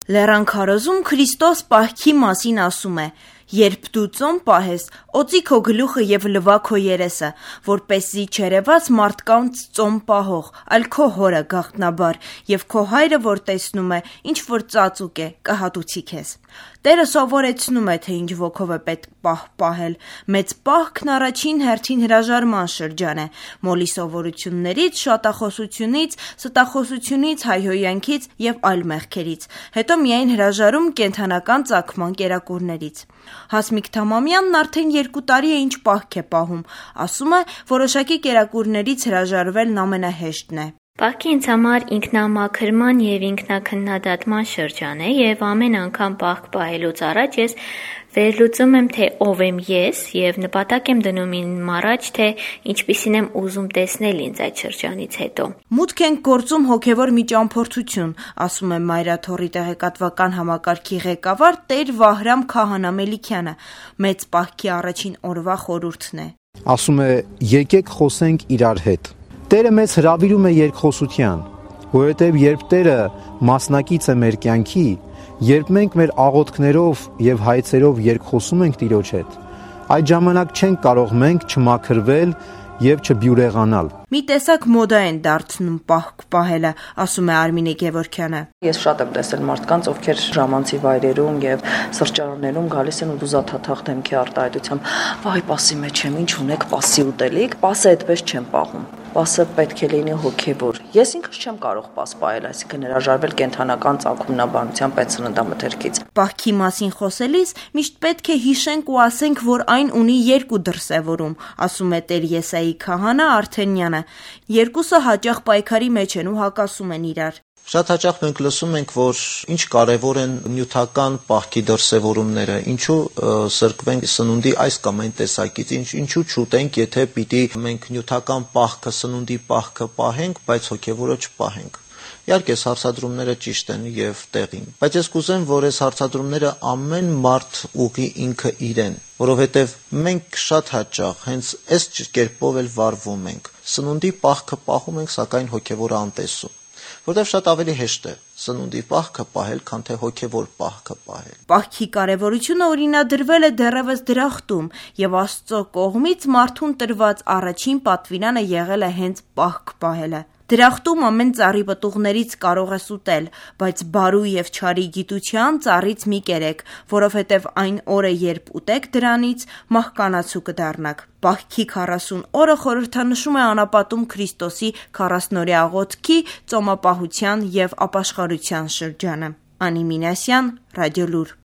Լեռան քարոզում Քրիստոս պահքի մասին ասում է. «Երբ դու ծոմ պահես, օծի քո գլուխը և լվա քո երեսը, որպեսզի չերևաս մարդկանց ծոմ պահող, այլ քո հորը գաղտնաբար, և քո հայրը, որ տեսնում է, ինչ որ ծածուկ է, կհատուցի քեզ»։ Տերը սովորեցնում է, թե ինչ ոգով է պետք պահ պահել։ Մեծ պահքն առաջին հերթին հրաժարման շրջան է, մոլի սովորություններից, շատախոսությունից, ստախոսությունից, հայհոյանքից և այլ մեղքերից, հետո միայն հրաժարում կենդանական ծագման կերակուրներից։ Հասմիկ Թամամյանն արդեն 2 տարի է ինչ պահք է պահում, ասում է, որոշակի կերակուրներից հրաժարվելն ամենահեշտն է։ Պահքը ինձ համար ինքնամաքրման և ինքնաքննադատման շրջան է, և ամեն անգամ պահք պահելուց առաջ ես վերլուծում եմ, թե ով եմ ես, և նպատակ եմ դնում իմ առաջ, թե ինչպիսին եմ ուզում տեսնել ինձ այդ շրջանից հետո։ Մուտք ենք գործում հոգևոր մի ճամփորդություն, ասում է Մայրաթոռի տեղեկատվական համակարգի ղեկավար Տեր Վահրամ Քահանա Մելիքյանը, մեծ պահքի առաջին օրվա խորհուրդն է։ Ասում է՝ եկեք խոսենք իրար հետ։ Տերը մեզ հրավիրում է երկխոսության, որովհետև երբ Տերը մասնակից է մեր կյանքի, երբ մենք մեր աղոթքներով և հայցերով երկխոսում ենք Տիրոջ հետ, այդ ժամանակ չենք կարող մենք չմաքրվել և չբյուրեղանալ։ Մի տեսակ մոդա են դարձնում պահք պահելը, ասում է Արմինե Գևորգյանը։ Ես շատ եմ տեսել մարդկանց, ովքեր ժամանցի վայրերում և սրճարաններում գալիս են ու դուզաթաթախ դեմքի արտահայտությամբ, վայ, պասի մեջ եմ, ինչ ունեք, պասի ուտելիք, պասը այդպես չեմ պահում։ Պասը պետք է լինի հոգևոր։ Ես ինքս չեմ կարող պաս պահել, այսինքն հրաժարվել կենդանական ծագումնաբանությամբ այդ սննդամթերքից։ Պահքի մասին խոսելիս միշտ պետք է հիշենք ու ասենք, որ այն ունի 2 դրսևորում, ասում է Տեր Եսայի Քահանա Արթենյանը։ Երկուսը հաճախ պայքարի մեջ են ու հակասում են իրար։ Շատ հաճախ մենք լսում ենք, որ ինչ կարևոր են նյութական պահքի դրսևորումները, ինչու սրկվենք սնունդի այս կամ այն տեսակից, ինչու չուտենք, եթե պիտի մենք նյութական պահքը, սնունդի պահքը պահենք, բայց հոգևորը չպահենք։ Իհարկե, հարցադրումները ճիշտ են և տեղին, բայց ես կուզեմ, որ այս հարցադրումները ամեն մարդ ուղղի ինքը իրեն, որովհետև մենք շատ հաճախ հենց այս կերպով էլ վարվում ենք։ Սնունդի պահքը պահում ենք, սակայն հոգևորը անտեսում, որտեղ շատ ավելի հեշտ է սնունդի պահքը պահել, քան թե հոգևոր պահքը պահել։ Պահքի կարևորությունը օրինադրվել է դեռևս դրախտում, և Աստծո կողմից մարդուն տրված առաջին պատվիրանը եղել է հենց պահք պահելը։ Դրախտում ամեն ծառի պտուղներից կարող ես ուտել, բայց բարու և չարի գիտության ծառից մի կերեք, որովհետև այն օրը, երբ ուտեք դրանից, մահկանացու կդառնաք։ Պահքի 40 օրը խորհրդանշում է անապատում Քրիստոսի 40-օրյա աղոթքի, ծոմապահության և ապաշխարության շրջանը։ Անի Մինասյան, Ռադիոլուր։